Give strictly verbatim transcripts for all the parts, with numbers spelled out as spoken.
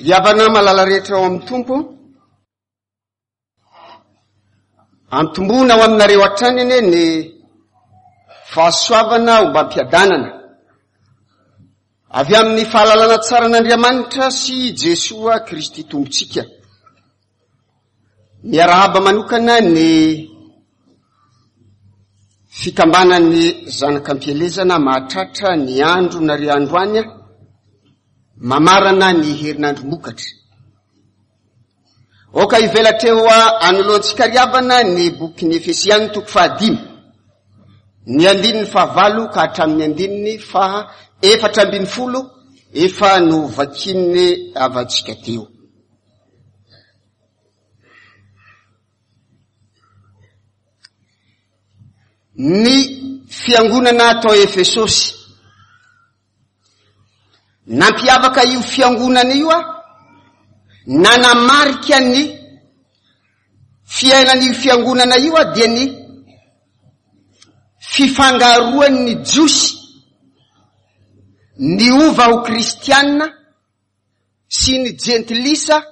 Ry havana malala rehetra ao amin'ny Tompo, antomboana ao aminareo hatrany anie ny fahasoavana ombam-piadanana avy amin'ny fahalalana tsara an'Andriamanitra sy Jesoa Kristy Tompontsika. Miarahaba manokana ny fikambanan'ny zanak'ampielezana mahatratra ny andro nare androany mamarana ny herinandrom-bokatra. Aoka hivelatra eo anoloantsika ry havana ny bokin'ny Efesiana toko fahadimy, ny andininy fahavalo ka hatramin'ny andininy faha efatra ambin'ny folo efa novakin'ny havantsika teo. Ny fiangonana tao Efesosy. Nampiavaka io fiangonana io a, nanamarika ny fiainan'io fiangonana io a dia ny fifangaroan'ny Jiosy niova ho kristianina sy ny jentilisa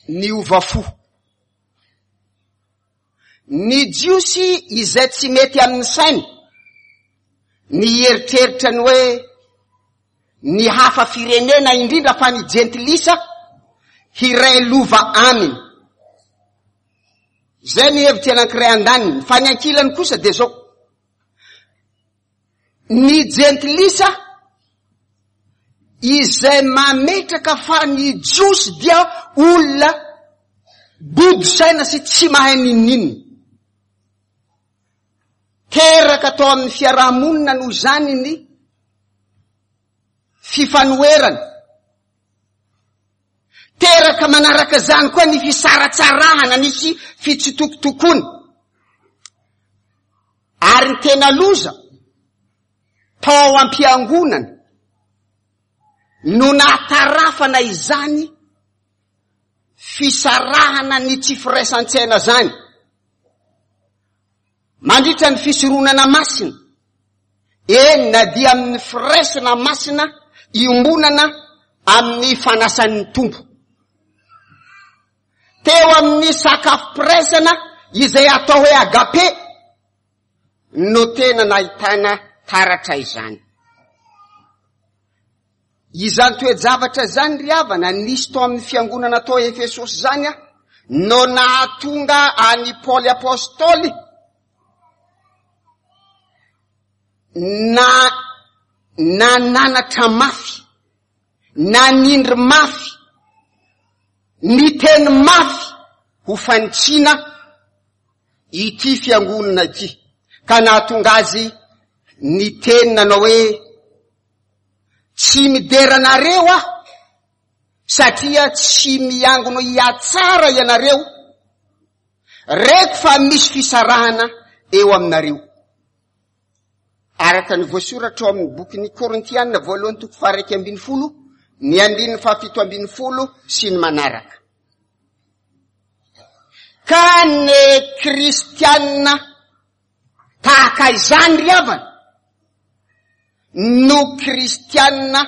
niova fo. Ny Jiosy izay tsy mety amin'ny sainy ny hieritreritra ny hoe ny hafa firenena indrindra fa ny jentilisa hiray lova aminy. Zay ny hevitra anankiray andaniny, fa ny ankilany kosa dia zao. Ny jentilisa izay mametraka fa ny Jiosy dia olona bodo saina sy tsy mahay n'inon'inona. Teraka tao amin'ny fiarahamonina noho izany ny fifanoherana. Teraka manaraka izany koa ny fisaratsarahana, ny fitsitokotokoana. Ary ny tena loza tao am-piangonana no nahatarafana izany fisarahana ny tsy firaisan-tsaina zany. Mandritra ny fisoronana masina, eny na dia amin'ny firaisana masina iombonana amin'ny fanasan'ny Tompo. Teo amin'ny sakafom-piraisana izay atao hoe agape no tena nahitana taratra izany. Izany toe-javatra izany ry havana nisy tao amin'ny fiangonana tao Efesosy izany a, no nahatonga an'i Paoly Apôstôly na nananatra mafy, nanindry mafy, niteny mafy ho fanitsiana ity fiangonana ity, ka nahatonga azy niteny nanao hoe tsy midera anareo aho satria tsy miangona hiatsara ianareo, reko fa misy fisarahana eo aminareo. Araka ny voasoratra ao amin'ny bokin'ny Korintiana voalohany toko faha-iraika ambin'ny folo, ny andininy fahafito ambin'ny folo sy ny manaraka. Ka ny kristianina tahaka izany ry havana no kristianina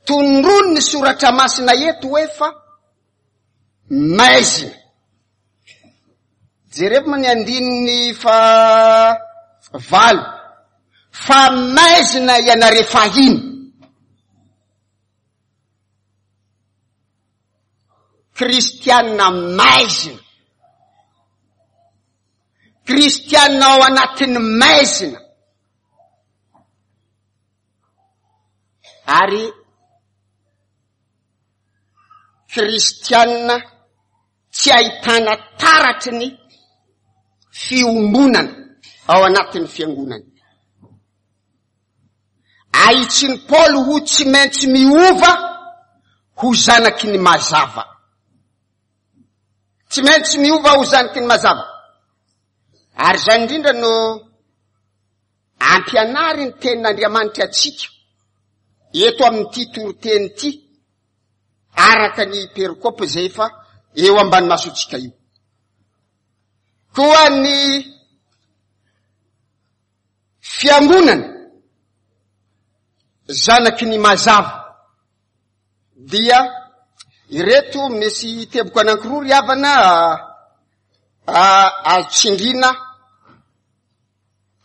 tondroin'ny soratra masina eto hoe fa maizina. Jerevo moa ny andininy fahavalo, fa maizina ianareo fahiny. Kristianina maizina, kristianina ao anatin'ny maizina, ary kristianina tsy ahitana taratry ny fiombonana ao anatin'ny fiangonana. Ahitsin'i Paoly ho tsy maintsy miova ho zanaky ny mazava. Tsy maintsy miova ho zanaky ny mazava. Ary izany indrindra no ampianary ny tenin'Andriamanitra antsika eto amin'ity toriteny ity, araka ny perikopa izay efa eo ambany masontsika io. Koa ny fiangonana zanaky ny mazava Dia ireto misy teboka anankiroa ry havana azo tsindrina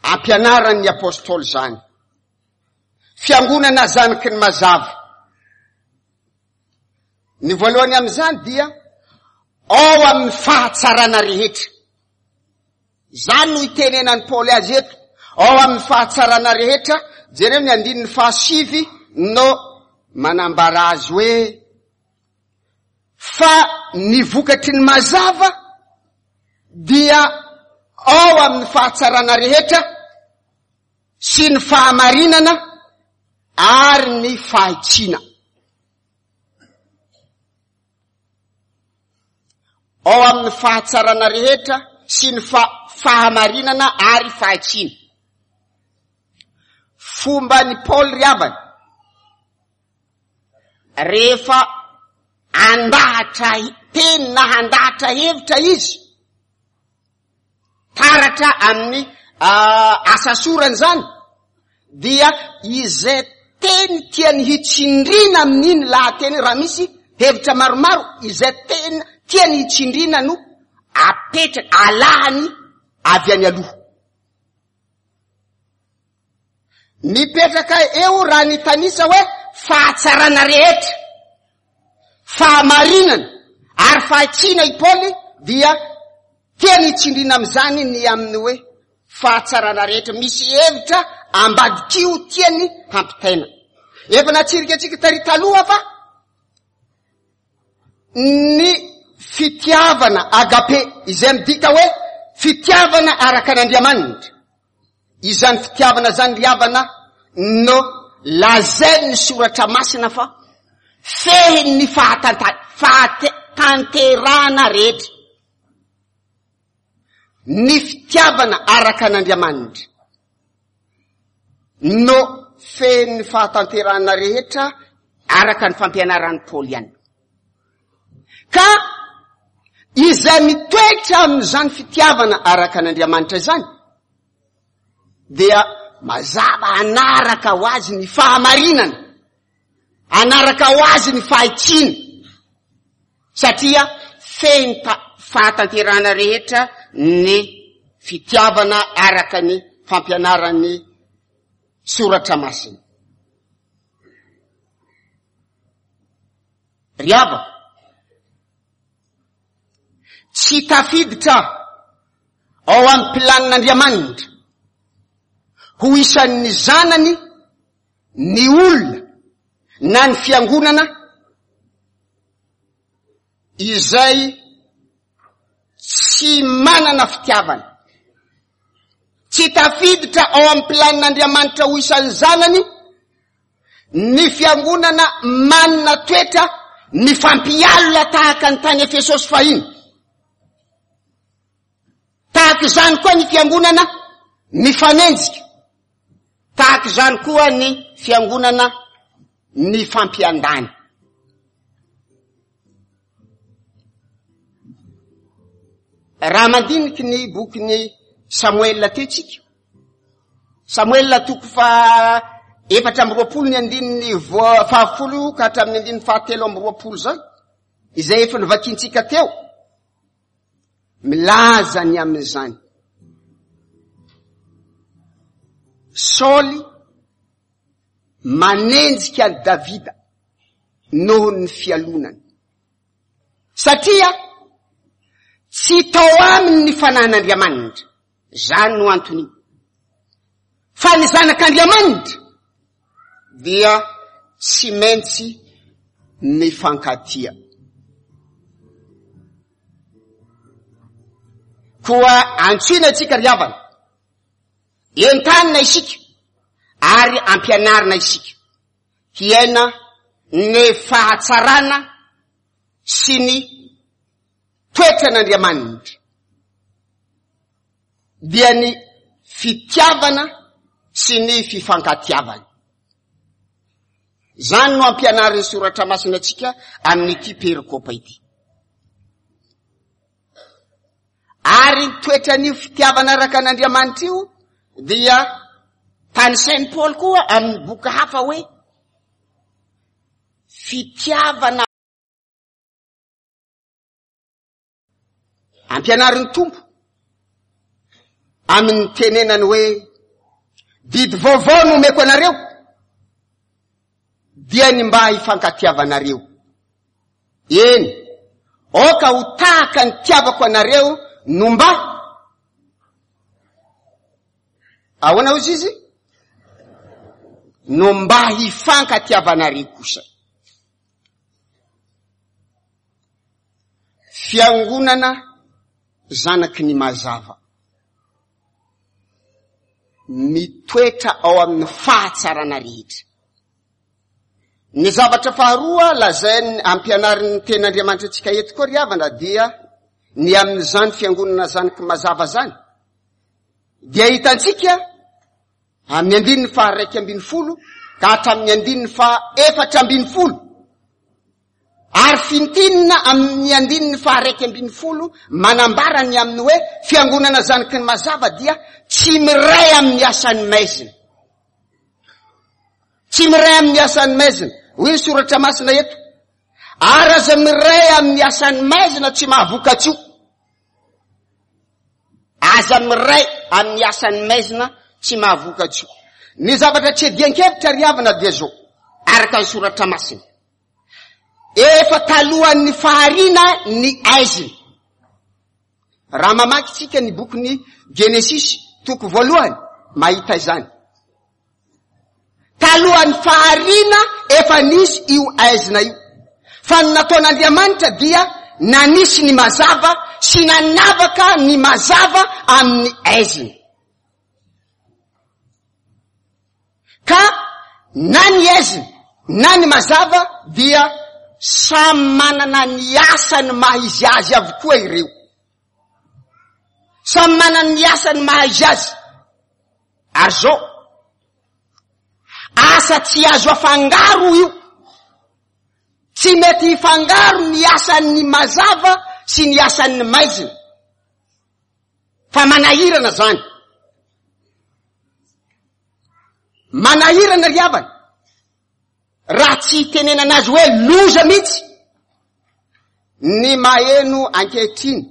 ampianaran'ny apôstôly zany. Fiangonana zanaky ny mazava. Ny voalohany amin'izany dia ao amin'ny fahatsarana rehetra. Zany no itenenan'i Paoly azy eto. Ao amin'ny fahatsarana rehetra, jereo ny andininy fahasivy no manambara azy hoe fa ny vokatry ny mazava dia ao amin'ny fahatsarana rehetra sy ny fahamarinana ary ny fahitsiana. Ao amin'ny fahatsarana rehetra sy ny fahamarinana ary fahitsiana. Fomba ny Paoly ry havana, rehefa andahatra teny na handahatra hevitra izy, taratra amin'ny asa sorany zany, dia izay teny tiany hitsindrina amin'iny lahateny, raha misy hevitra maromaro, izay teny tiany hitsindrina no apetraka, alahany avy any aloha. Mipetraka eo raha ny tanisa hoe fahatsarana rehetra, fahamarinana ary fahitsiana i Paoly, dia tiany hitsindrina amin'izany ny amin'ny hoe fahatsarana rehetra. Misy hevitra ambadikio tiany hampitaina. Efa natsirika antsika tary taloha fa ny fitiavana agape, izay midika hoe fitiavana araka an'Andriamanitra. Izany fitiavana zany ry havana no lazain'ny soratra masina fa fehin'ny fahatanterahana rehetra. Ny fitiavana araka an'Andriamanitra no fehin'ny fahatanterahana rehetra araka ny fampianaran'i Paoly ihany. Ka izay mitoetra amin'izany fitiavana araka an'Andriamanitra izany dia mazava anaraka ho azy ny fahamarinana, anaraka ho azy ny fahitsiana, satria feno fahatanterahana rehetra ny fitiavana araka ny fampianaran'ny soratra masina. Ry havana, tsy tafiditra ao amin'ny planin'Andriamanitra ho isan'ny zanany ny olona na ny fiangonana izay tsy manana fitiavana. Tsy tafiditra ao amin'ny planin'Andriamanitra ho isan'ny zanany ny fiangonana manana toetra mifampialona tahaka ny tany Efesosy fahiny. Tahaka izany koa ny fiangonana mifanenjika, tahaka izany koa ny fiangonana mifampiandany. Raha mandiniky ny bokin'ny Samoela teo tsika, Samoela toko fa efatra amby roapolo ny andininy fahafolo ka hatramin'ny andininy fahatelo amby roapolo zany, izay efa novakintsika teo, milaza ny amin'izany. Saoly manenjika an'i Davida noho ny fialonany, satria tsy tao aminy ny fanahin'Andriamanitra. Zany no antony. Fa ny zanak'Andriamanitra dia tsy maintsy mifankatia. Koa antsoina antsika ry havana, entanina isika ary ampianarina isika hiaina ny fahatsarana sy ny toetran'Andriamanitra, dia ny fitiavana sy ny fifankatiavana. Zany no ampianarin'ny soratra masina antsika amin'ity perikopa ity. Ary ny toetran'io fitiavana araka an'Andriamanitra io dia tanisain'i Paoly koa amin'ny boky hafa hoe Fitiavana ampianarin'ny Tompo amin'ny tenenany hoe didy vaovao no omeko anareo, dia ny mba hifankatiavanareo. Eny, aoka ho tahaka ny tiavako anareo no mba ahoana hozy izy? No mba hifankatiavanareo kosa. Fiangonana zanaky ny mazava, mitoetra ao amin'ny fahatsarana rehetra. Ny zavatra faharoa lazainy ampianarin'ny tenin'Andriamanitra antsika eto koa ry havana dia ny amin'izany fiangonana zanaky mazava zany dia hitantsika amin'ny andininy faha iraika ambin'ny folo ka hatramin'ny andininy faha efatra ambin'ny folo, ary fintinina amin'ny andininy faha iraika ambin'ny folo manambara ny amin'ny hoe fiangonana zanaky ny mazava dia tsy miray amin'ny asan'ny maizina. Tsy miray amin'ny asan'ny maizina. Hoy ny soratra masina eto, ary aza miray amin'ny asan'ny maizina tsy mahavokatsoa. Aza miray amin'ny asan'ny maizina tsy mahavokatsoa. Ny zavatra tsy adian-kevitra ry havana dia zao, araka ny soratra masina, efa talohan'ny fahariana ny aizina. Raha mamaky tsika ny bokin'ny Genesisy toko voalohany, mahita izany. Talohan'ny fahariana efa nisy io aizina io. Fa ny nataon'Andriamanitra dia nanisy ny mazava sy nanavaka ny mazava amin'ny aizina. Ka na ny aizina na ny mazava dia samy manana ny asany maha izy azy avokoa ireo. Samy manana ny asany maha izy azy. Ary zao, asa tsy azo afangaro io. Tsy mety hifangaro ny asan'ny mazava sy ny asan'ny maizina. Fa manahirana zany. Manahirana ry havana. Raha tsy hitenenana azy hoe loza mihitsy ny maheno ankehitriny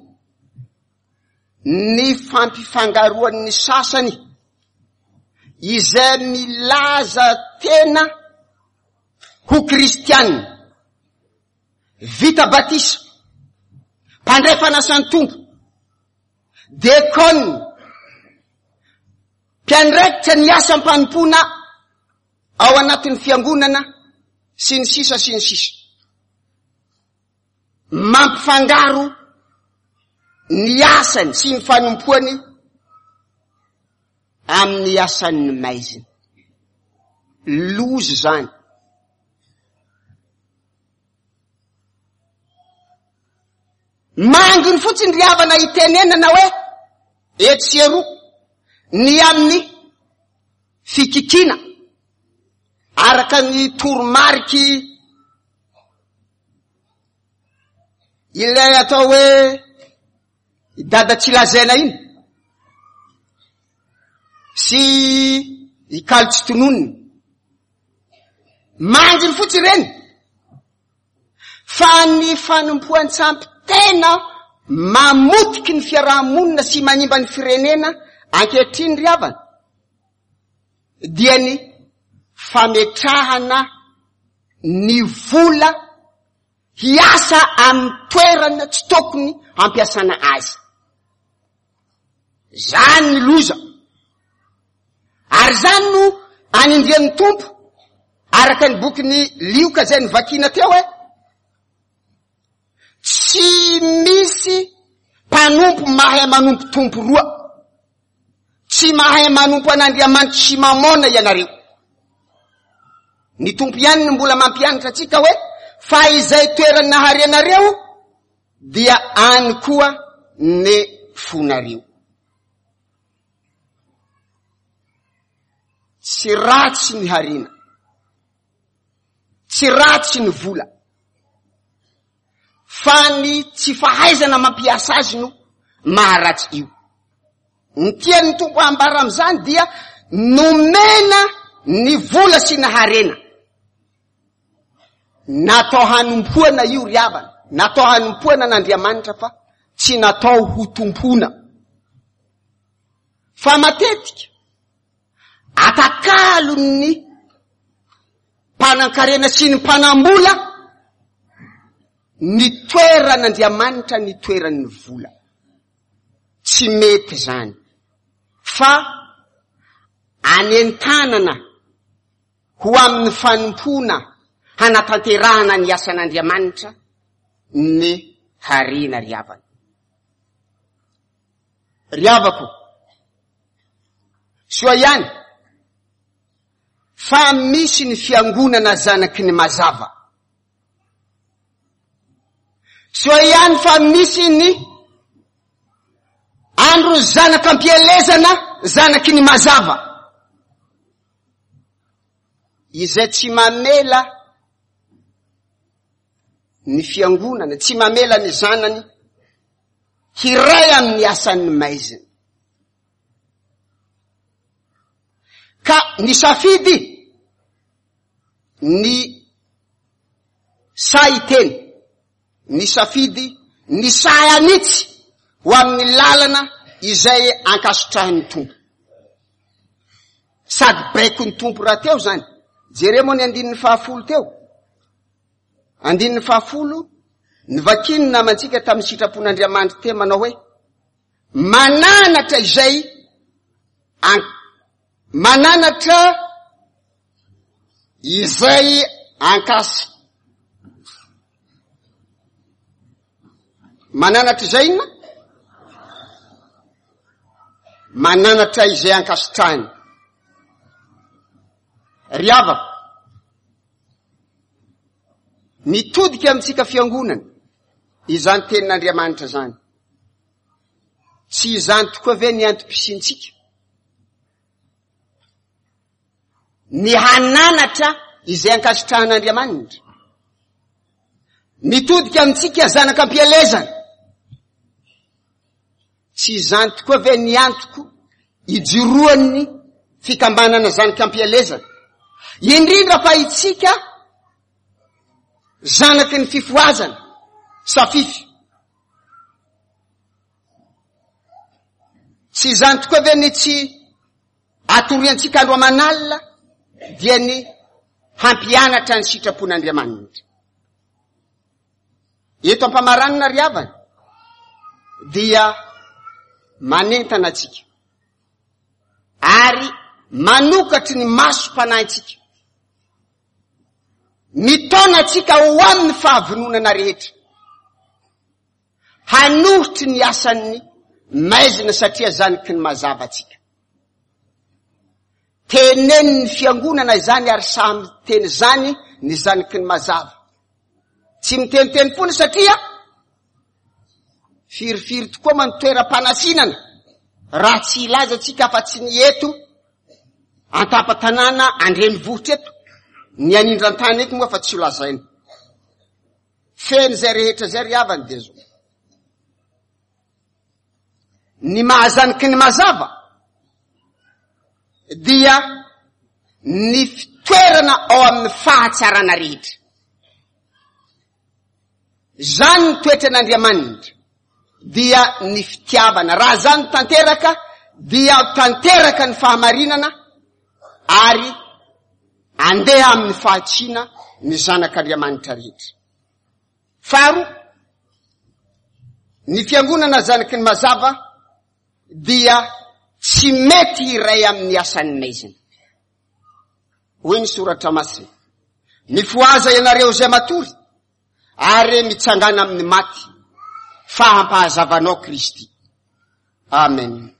ny fampifangaroan'ny sasany izay milaza tena ho kristianina, vita batisa, mpandray fanasan'ny Tompo, dekona, mpiandraikitra ny asam-panompoana ao anatin'ny fiangonana sy ny sisa sy ny sisa. Mampifangaro ny asany sy ny fanompoany amin'ny asan'ny maizina. Loza zany. Manginy fotsiny ry havana hitenenana hoe etsy sy eroa ny amin'ny fikikiana araka ny toromariky ilay atao hoe dada tsy lazaina iny sy ikalo tsy tononina. Manginy fotsiny ireny. Fa ny fanompoan-tsampy tena mamotiky ny fiarahamonina sy manimba ny firenena ankehitriny ry havana dia ny fametrahana ny vola hiasa amin'ny toerana tsy tokony hampiasana azy. Zany ny loza. Ary zany no anindrian'ny Tompo araka ny bokin'ny Lioka izay novakina teo hoe tsy misy mpanompo mahay manompo tompo roa. Tsy mahay manompo an'Andriamanitra sy mamona ianareo. Ny Tompo ihany no mbola mampianatra antsika hoe fa izay toerana harenareo dia any koa ny fonareo. Tsy ratsy ny harena, tsy ratsy ny vola, fa ny tsy fahaizana mampiasa azy no maharatsy io. Ny tian'ny Tompo ambara amin'izany dia nomena ny vola sy ny harena. Natao hanompoana io ry havana, natao hanompoana an'Andriamanitra fa tsy natao ho tompoina. Fa matetika atakalon'ny mpanan-karena sy ny mpanam-bola ny toeran'Andriamanitra ny toeran'ny vola. Tsy mety zany fa anentanana ho amin'ny fanompoana hanatanterahana ny asan'Andriamanitra ny harena ry havana. Ry havako, soa ihany fa misy ny fiangonana zanaky ny mazava. Soa ihany fa misy ny andro zanak'ampielezana zanaky ny mazava. Izay tsy mamela ny fiangonana, tsy mamela ny zanany hiray amin'ny asan'ny maizina. Ka nisafidy ny sahy hiteny, nisafidy ny sahy hanitsy ho amin'ny lalana izay ankasitrahin'ny Tompo. Sady baikon'ny Tompo rahateo zany. Jereo moa ny andininy fahafolo teo. Andininy fahafolo, novakiny ny namantsika tamin'ny sitrapon'Andriamanitra teo manao hoe, mananatra izay an-, mananatra izay ankasy. Mananatra izay inona? Mananatra izay ankasitrahiny. Ry havako, mitodika amintsika fiangonana izany tenin'Andriamanitra izany. Tsy izany tokoa ve ny antom-pisiantsika? Ny hananatra izay ankasitrahan'Andriamanitra. Mitodika amintsika zanak'ampielezana. Tsy izany tokoa ve ny antoko ijoroan'ny fikambanana zanak'ampielezana? Indrindra fa itsika zanaky ny fifohazana, safify. Tsy izany tokoa ve ny tsy atoriantsika andro aman'alina dia ny hampianatra ny sitrapon'Andriamanitra. Eto am-pamaranana ry havana dia manentana antsika ary manokatry ny masom-panahintsika, mitaona antsika ho amin'ny fahavononana rehetra, hanohitry ny asan'ny maizina satria zanaky ny mazava antsika. Tenenin'ny fiangonana izany ary samy miteny izany ny zanaky ny mazava. Tsy miteniteny foana satria firifiry tokoa ma ny toeram-panasinana raha tsy hilaza antsika afa-tsy ny eto an-tampon-tanàna andrenivohitra eto, ny anindran-tany eto moa fa tsy ho lazaina. Feno izay rehetra izay ry havany dia zao. Ny mahazanaky ny mazava dia ny fitoerana ao amin'ny fahatsarana rehetra. Zany ny toetran'Andriamanitra dia ny fitiavana. Raha zany tanteraka dia tanteraka ny fahamarinana ary andeha amin'ny fahatsiana ny zanak'Andriamanitra rehetra. Faharoa, ny fiangonana zanaky ny mazava dia tsy mety iray amin'ny asan'ny maizina. Hoy ny soratra masina, mifohaza ianareo izay matory ary mitsangana amin'ny maty fa hampahazavanao Kristy. Amen.